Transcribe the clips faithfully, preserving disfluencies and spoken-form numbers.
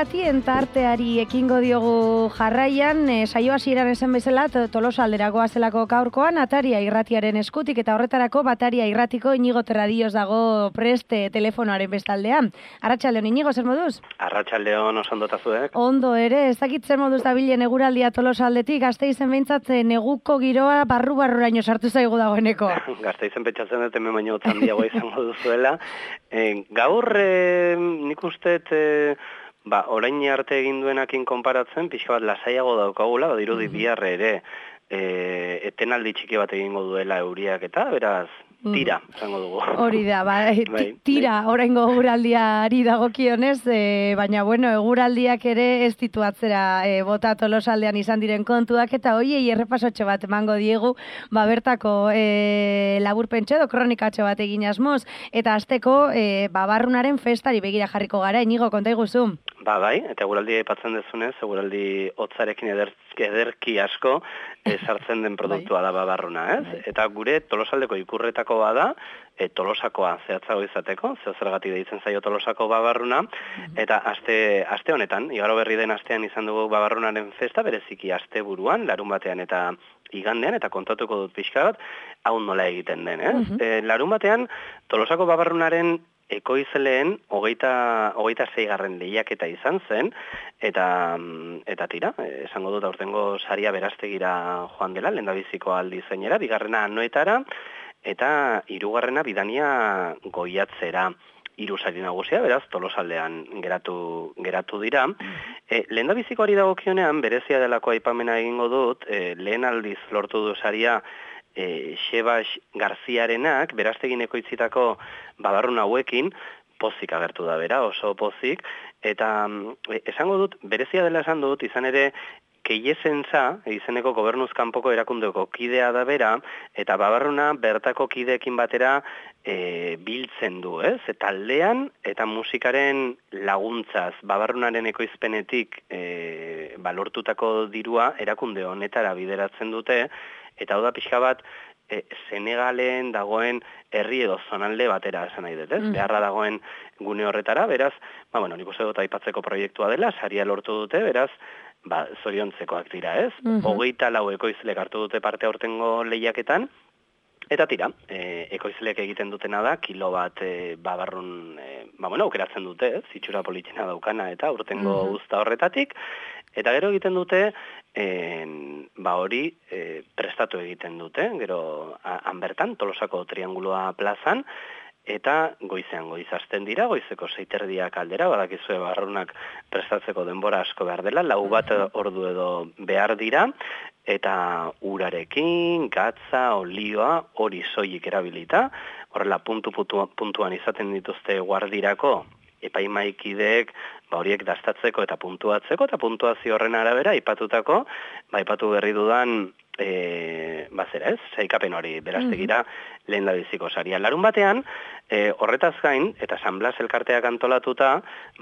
irratien tarteari ekingo diogu jarraian, e, saio hasieran esan bezala Tolosa alderagoa zelako gaurkoan, Ataria irratiaren eskutik eta horretarako Bataria irratiko Inigo Terradillos dago preste telefonoaren bestaldean. Arratsaldeon Inigo, zer moduz? Arratsaldeon, oso ondo tazuek? Ondo ere, ez dakit zer moduz dabilen eguraldia Tolosa aldetik, Gasteizen behintzat neguko giroa barru-barruraino sartu zaigu dagoeneko. Gasteizen pentsatzen dut hemen baino handiagoa izango duzuela. E, gaur e, nik uste e, ba, orain arte egin duenakin konparatzen, pixka bat lasaiago daukagula, badirudi mm-hmm. bihar ere e, etenaldi txiki bat egingo duela euriak eta, beraz, tira, esango dugu. Hori da, ba, tira, oraingo eguraldiari dagokionez, e, baina, bueno, eguraldiak ere ez ditu atzera e, bota Tolosaldean izan diren kontuak, eta hoiei errepasotxo bat emango diegu, ba, bertako e, laburpentxo edo kronikatxo bat egin asmoz, eta azteko e, babarrunaren festari begira jarriko gara, Inigo, konta iguzu. Ba, bai, eta eguraldi aipatzen dezunez, eguraldi hotzarekin eder, ederki asko e, sartzen den produktua bai. Da babarruna, ez? Bai. Eta gure Tolosaldeko ikurretako bada, e, Tolosakoa zehatzago izateko, zeo zergatik deitzen zaio Tolosako babarruna, mm-hmm. eta aste, aste honetan, igaro berri den astean izan dugu babarrunaren festa, bereziki aste buruan, larun batean eta igandean, eta kontatuko dut pixka bat, hau nola egiten den, ez? Mm-hmm. E, larun batean, Tolosako babarrunaren ekoizleen hogeita, hogeita zeigarren lehiaketa izan zen, eta, eta tira, esango dut aurtengo saria berastegira joan dela, lehendabiziko aldi zeinera, bigarrena anoetara, eta hirugarrena bidania goiatzera. Hiru sari nagusia, beraz, Tolosaldean geratu, geratu dira. E, lehendabizikoari dagokionean, berezia delako aipamena egingo dut, e, lehen aldiz lortu du saria, E, Xebas Garziarenak, beraztegin ekoitzitako babarrun hauekin, pozik agertu da bera, oso pozik, eta e, esango dut, berezia dela esan dut, izan ere, Keiesentza, izeneko gobernuz kanpoko erakundeko kidea da bera, eta babarruna bertako kideekin batera e, biltzen du, ez? Eta aldean, eta musikaren laguntzaz, babarrunaren ekoizpenetik e, balortutako dirua erakunde honetara bideratzen dute, eta hau da pixka bat, e, Senegalen dagoen herri edo zonalde batera esan nahi dut, ez? Mm. Beharra dagoen gune horretara, beraz, ba, bueno, nik uste dut aipatzeko proiektua dela, saria lortu dute, beraz, ba, zoriontzekoak dira, ez? Mm-hmm. Hogeita lau ekoizlek hartu dute parte aurtengo lehiaketan, eta tira, e, ekoizleek egiten dutena da, kilo bat e, babarrun, e, ba, bueno, aukeratzen dute, ez? Zitxura politxena daukana, eta urtengo mm-hmm. uzta horretatik, eta gero egiten dute, en, ba hori e, prestatu egiten dute, gero han bertan, Tolosako Trianguloa plazan, eta goizean goizazten dira, goizeko seiterdiak aldera, badakizue barrunak prestatzeko denbora asko behar dela, lau bat ordu edo behar dira, eta urarekin, gatza, olioa, hori soilik erabilita, horrela puntu puntuan izaten dituzte guardirako, epaimaikideek, ba horiek dastatzeko eta puntuatzeko, eta puntuazio horren arabera, aipatutako, ba aipatu berri dudan, e, bazera ez, saikapen hori berastegira mm-hmm. lehen labiziko saria. Larun batean, e, horretaz gain, eta San Blas elkarteak antolatuta,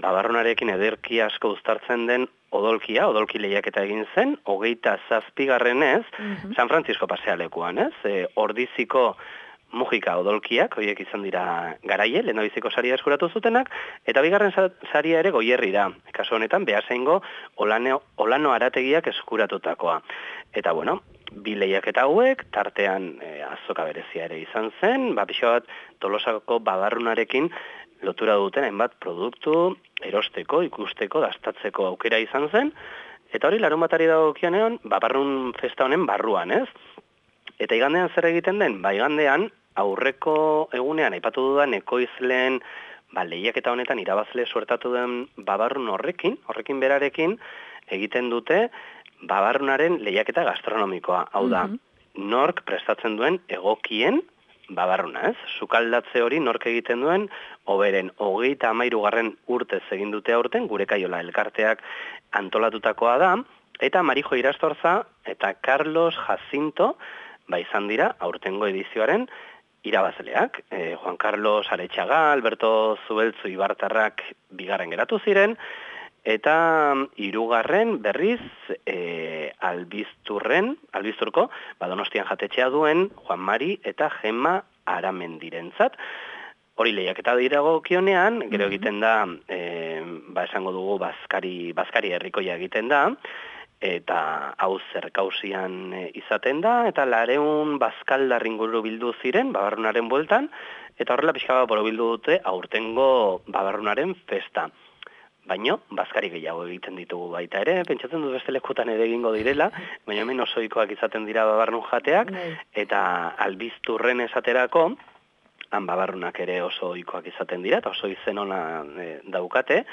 babarrunarekin ederki asko uztartzen den odolkia, odolki lehiaketa egin zen, hogeita zazpigarrenez, mm-hmm. San Francisco pasealekuan, ez, e, ordiziko Mujika odolkiak, horiek izan dira garaie, lehendabiziko saria eskuratu zutenak, eta bigarren saria ere goierri da. Kasu honetan, Beasaingo Olano, Olano Arategiak eskuratutakoa. Eta bueno, bi lehiaketa hauek, tartean e, azoka berezia ere izan zen, ba, pixo bat Tolosako babarrunarekin lotura duten hainbat produktu, erosteko, ikusteko, dastatzeko aukera izan zen, eta hori larun batari dagokionean, babarrun festa honen barruan, ez? Eta igandean zer egiten den? Ba, igandean, aurreko egunean, aipatu dudan, ekoizleen, ba, lehiaketa honetan irabazle suertatu den babarrun horrekin, horrekin berarekin, egiten dute babarrunaren lehiaketa gastronomikoa. Hau da, mm-hmm. nork prestatzen duen egokien babarruna, ez? Sukaldatze hori nork egiten duen, oberen hogeita hamairugarren urtez egin dute aurten, gure kaiola elkarteak antolatutakoa da, eta Marijo Irastorza eta Carlos Jacinto, ba izan dira, aurtengo edizioaren irabazleak. E, Juan Carlos Aretxaga, Alberto Zubeltzu Ibartarrak bigarren geratu ziren, eta hirugarren berriz e, albizturren, albizturko, Badonostian jatetxea duen Juan Mari eta Gemma Aramendirentzat. Hori lehiaketa dirago kionean, gero egiten da e, ba esango dugu bazkari, bazkari herrikoia egiten da, eta hau zerkausian izaten da, eta lareun bazkaldar inguru bildu ziren, babarrunaren bueltan, eta horrela pixka bat bildu dute aurtengo babarrunaren festa. Baino, bazkari gehiago egiten ditugu baita ere, pentsatzen dut beste lekutan ere egingo direla, baina hemen osoikoak izaten dira babarrun jateak, eta albizturren esaterako, han babarrunak ere oso ohikoak izaten dira, eta oso izen ona e, daukate,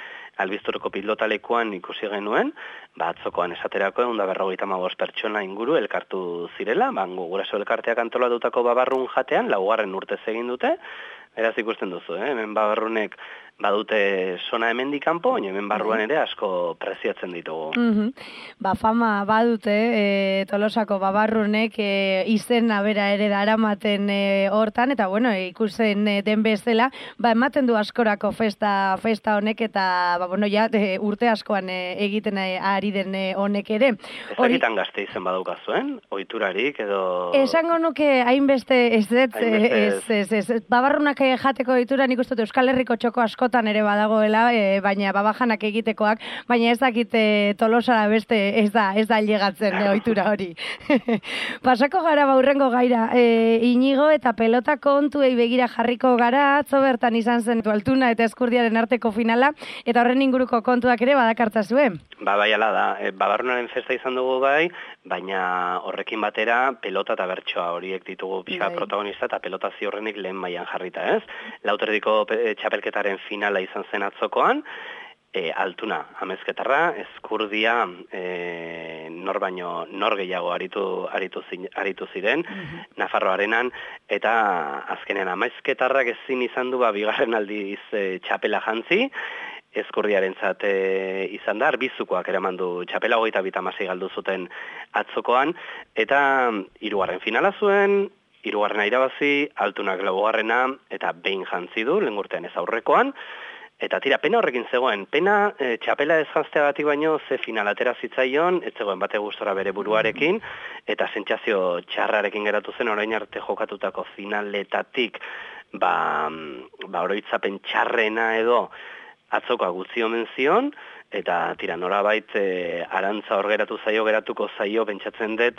albizturreko pilotalekuan ikusi genuen, ba atzokoan esaterako egun da berrogeita hamabost pertsona inguru elkartu zirela, bango guraso elkarteak antolatutako babarrun jatean, laugarren urtez egin dute, beraz ikusten duzu, eh? Hemen babarrunek badute sona hemendik kanpo, baina hemen barruan ere asko preziatzen ditugu. Mm-hmm. Ba, fama badute, e, Tolosako babarrunek e, izena bera ere daramaten e, hortan, eta bueno, ikusten e, den bezala, ba, ematen du askorako festa festa honek, eta ba, bueno, ja, e, urte askoan e, egiten e, ari den e, honek ere. Ezagitan gazte izen badaukazuen, ohiturarik edo... Esango nuke hainbeste ez ez, ez, ez, ez, ez, babarrunak jateko ohitura nik uste dut Euskal Herriko txoko askotan ere badagoela, e, baina babajanak egitekoak, baina ez dakite Tolosara beste ez da, ez da llegatzen e, ohitura hori. Pasako gara baurrengo gaira, e, Inigo eta pelota kontuei begira jarriko gara, atzo bertan izan zen Altuna eta Eskurdiaren arteko finala, eta horren inguruko kontuak ere badakartza zuen. Ba, bai, ala da, e, babarrunaren festa izan dugu bai, baina horrekin batera pelota eta bertsoa horiek ditugu pixka protagonista, eta pelota ziurrenik lehen mailan jarrita, ez? Lauterdiko txapelketaren finala izan zen atzokoan, e, Altuna amezketarra, Eskurdia e, nor baino nor gehiago aritu, aritu, zin, aritu ziren, mm-hmm. Nafarroarenan, eta azkenean amezketarrak ezin izan du ba, bigarren aldiz e, txapela jantzi, Eskurdiarentzat e, izan da, arbizukoak eraman du txapela hogeita bita masei galdu zuten atzokoan, eta hirugarren finala zuen, hirugarrena irabazi, Altunak laugarrena, eta behin jantzi du, lehen urtean ez aurrekoan, eta tira, pena horrekin zegoen, pena e, txapela ez janzteagatik baino ze final atera zitzaion, ez zegoen bate gustora bere buruarekin, eta sentsazio txarrarekin geratu zen orain arte jokatutako finaletatik, ba, ba oroitzapen txarrena edo, atzokoa gutzi omen zion, eta tira, norabait e, arantza hor geratu zaio, geratuko zaio, pentsatzen dut,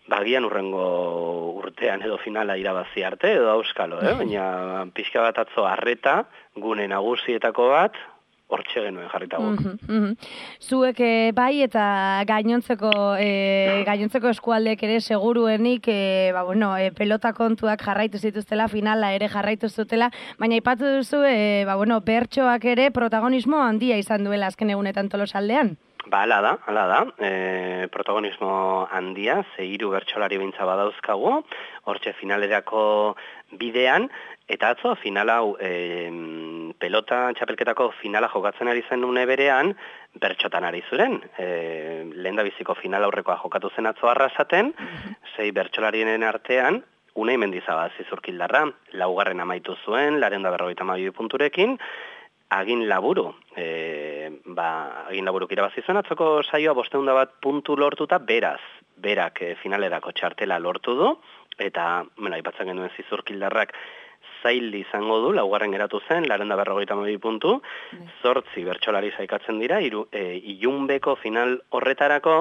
bagian urrengo urtean edo finala irabazi arte, edo auskalo, eh? Baina pixka bat atzo arreta, gune nagusietako bat, hortxe genuen jarritagok. Mm-hmm, mm-hmm. Zuek e, bai eta gainontzeko e, gainontzeko eskualdeek ere seguruenik e, ba, bueno, e, pelota kontuak jarraitu zituztela, finala ere jarraitu zutela, baina aipatu duzu e, ba, bueno, bertsoak ere protagonismo handia izan duela azken egunetan Tolosaldean. Ba, ala da, ala da, e, protagonismo handia, ze hiru bertsolari bintza badauzkagu, hortxe finalerako bidean, eta atzo final hau e, pelota txapelketako finala jokatzen ari zen une berean, bertxotan ari zuren. E, lehen da biziko final aurrekoa jokatu zen atzo arrasaten, sei bertsolarien artean, Unai Mendizabal zizurkildarra, laugarren amaitu zuen, lareunda berrogeita hamabi punturekin, Agin Laburu, e, ba, Agin Laburuk irabazi zuen atzoko saioa bosteunda bat puntu lortuta, beraz, berak e, finalerako txartela lortu du, eta, bueno, aipatzen genuen zizurkildarrak zail izango du, laugarren geratu zen, lareunda berrogeita hamabi puntu, zortzi bertsolari saikatzen dira, iru, e, ilunbeko final horretarako,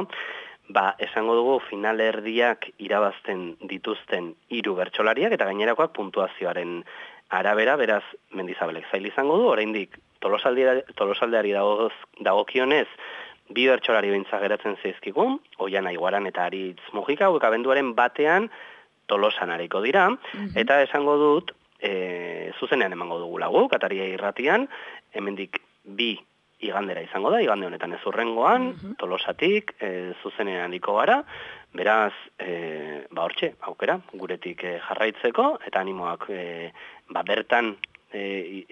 ba, esango dugu finalerdiak irabazten dituzten hiru bertsolariak, eta gainerakoak puntuazioaren arabera, beraz, Mendizabelek zail izango du, oraindik Tolosaldeari dagokionez, bi bertsolari bintza geratzen zaizkigun, Oiana Iguaran eta Aritz Mujika, hauek abenduaren batean Tolosan ariko dira, mm-hmm. eta esango dut, e, zuzenean emango dugu lagu, Kataria irratian, hemendik bi igandera izango da, igande honetan ez urrengoan, mm-hmm. Tolosatik, e, zuzenean ariko gara, beraz, e, ba hortxe, aukera, guretik e, jarraitzeko, eta animoak e, ba bertan e,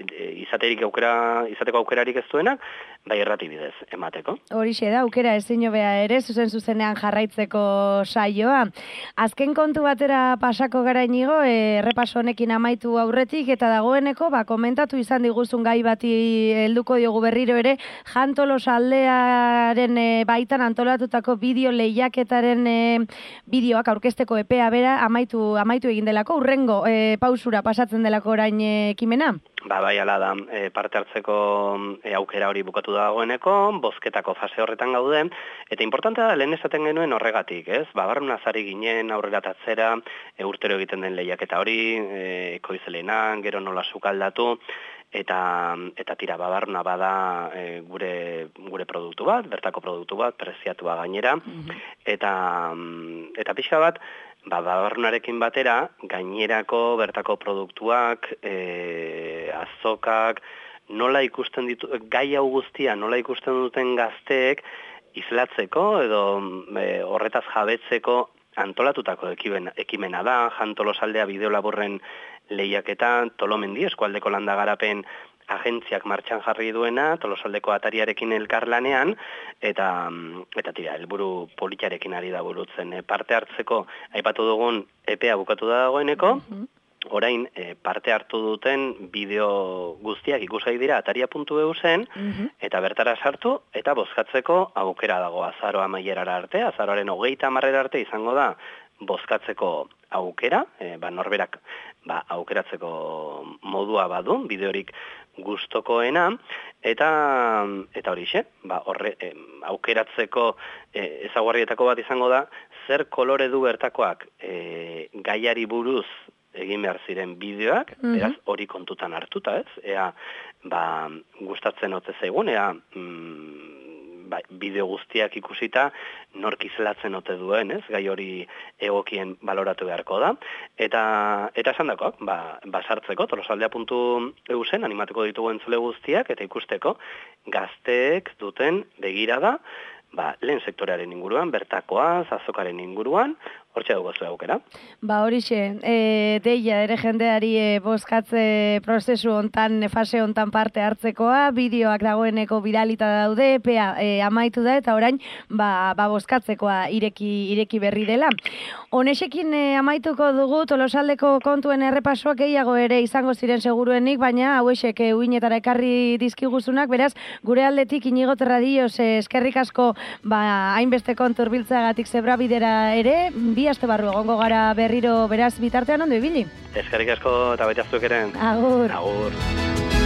izaterik aukera, izateko aukerarik ez duenak, bai errati bidez emateko. Horixe da, aukera ezin hobea ere, zuzen zuzenean jarraitzeko saioa. Azken kontu batera pasako gara Inigo, e, errepaso honekin amaitu aurretik, eta dagoeneko, ba, komentatu izan diguzun gai bati helduko diogu berriro ere, Jan Tolosaldearen e, baitan antolatutako bideo lehiaketaren e, bideoak aurkezteko epea bera amaitu, amaitu egin delako, urrengo e, pausura pasatzen delako orain e, ekimena? Ba, bai, ala da, e, parte hartzeko e, aukera hori bukatu dagoeneko, bozketako fase horretan gaude, eta importantea da lehen esaten genuen horregatik, ez? Ba, barruna zari ginen, aurrera tatzera, e, urtero egiten den lehiaketa hori, e, ekoizelenan, gero nola sukaldatu, eta eta tira babarruna bada e, gure gure produktu bat, bertako produktu bat, preziatua gainera, mm-hmm. eta eta pixa bat, ba, babarrunarekin batera, gainerako bertako produktuak, e, azokak, nola ikusten ditu, gai hau guztia, nola ikusten duten gazteek, islatzeko edo e, horretaz jabetzeko antolatutako ekimen, ekimena da, Jan Tolosaldea bideolaburren lehiaketa, Tolomendi eskualdeko landagarapen agentziak martxan jarri duena, Tolosaldeko atariarekin elkarlanean, eta, eta tira, helburu politiarekin ari da burutzen. E, parte hartzeko, aipatu dugun, epea bukatu da dagoeneko, mm-hmm. orain e, parte hartu duten bideo guztiak ikusgai dira ataria puntu e u zen, mm-hmm. eta bertara sartu, eta bozkatzeko aukera dago azaroa amaierara arte, azaroaren hogeita hamarrera arte izango da bozkatzeko aukera, e, ba, norberak ba, aukeratzeko modua badu, bideorik gustokoena, eta eta horixe, ba, horre, e, aukeratzeko e, ezaugarrietako bat izango da, zer kolore du bertakoak e, gaiari buruz egin behar ziren bideoak, mm-hmm. beraz hori kontutan hartuta, ez? Ea, ba, gustatzen ote zaigun, ea, mm, ba, bideo guztiak ikusita, nork izlatzen ote duen, ez? Gai hori egokien baloratu beharko da. Eta, eta esan dakoak, ba, basartzeko, tolosaldea puntu e u zen, animatuko ditugu entzule guztiak, eta ikusteko, gazteek duten begirada, ba, lehen sektorearen inguruan, bertakoaz, azokaren inguruan, hortxe dugu zuen aukera. Ba, horixe, e, deia ere jendeari e, bozkatze prozesu hontan, fase hontan parte hartzekoa, bideoak dagoeneko bidalita daude, epea e, amaitu da, eta orain, ba, ba bozkatzekoa ireki, ireki berri dela. Honexekin e, amaituko dugu, Tolosaldeko kontuen errepasoak gehiago ere izango ziren seguruenik, baina hauexek e, uinetara ekarri dizkiguzunak, beraz, gure aldetik Inigo Terradillos e, eskerrik asko ba, hainbeste kontur biltzagatik zebra bidera ere, bi aste barru egongo gara berriro beraz bitartean ondo ibili. Eskerrik asko eta baita zuek ere. Agur. Agur.